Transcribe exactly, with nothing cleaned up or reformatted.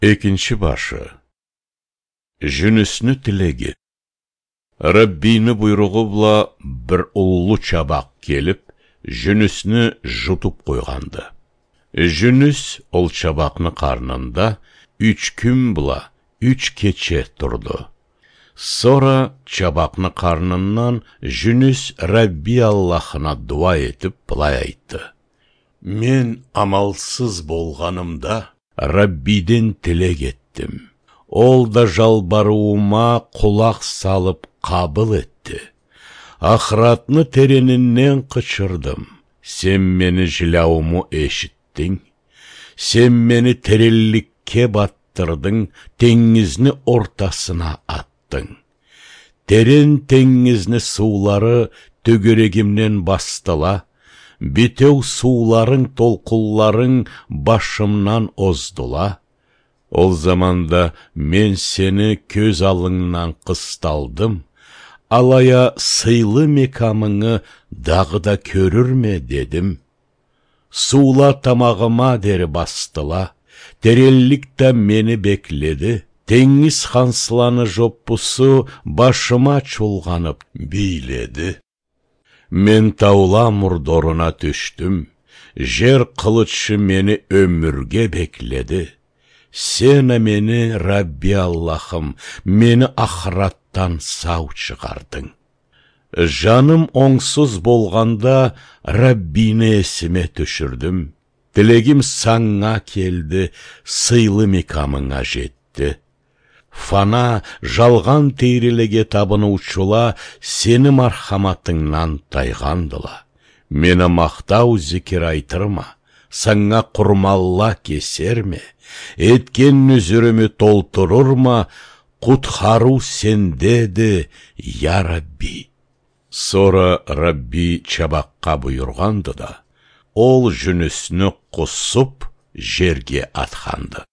Экинчи башы. Жюнюсню тилеги. Раббийни буйругъу бла бир уллу чабакъ келип, Жюнюсню жутуп къойгъанды. Жюнюс ол чабакъны къарнында юч кюн бла юч кече турду. Сора чабакъны къарнындан Жюнюс Рабби Аллахына дуа этип, былай айтды: «Мен амалсыз болгъанымда, Раббийден тилек этдим. Ол да жалбарыуума къулакъ салып къабыл этди. Ахыратны теренинден къычырдым. Сен мени жиляууму эшитдинг. Сен мени теренликге батдырдынг, тенгизни ортасына атдынг. Терен тенгизни суулары тёгерегимден басдыла, битеу сууларынг толкъунларынг башымдан оздула. Ол заманда мен сени кёз аллынгдан къысталдым, алай а сыйлы мекамынгы дагъыда кёрюрме дедим. Суула тамагъыма дери басдыла, теренлик да мени бекледи, тенгиз хансланы жоппусу башыма чулгъанып бийледи. Мен таула мурдоруна тюшдюм, жер къылычы мени ёмюрге бекледи. Сен а мени, Рабби Аллахым, мени ахыратдан сау чыгъардынг. Жаным онгсуз болгъанда, Раббийни эсиме тюшюрдюм. Тилегим санга келди, сыйлы мекамынга жетди. Фана, жалгъан тейрилеге табыныучула сени мархаматынгдан тайгъандыла. Мен а махтау зикир айтырма, санга къурманла кесерме, этген нюзюрюмю толтурурма, къутхарыу сендеди, я Рабби». Сора Рабби чабакъгъа буюргъанды да, ол жюнюсню къусуп, жерге атханды.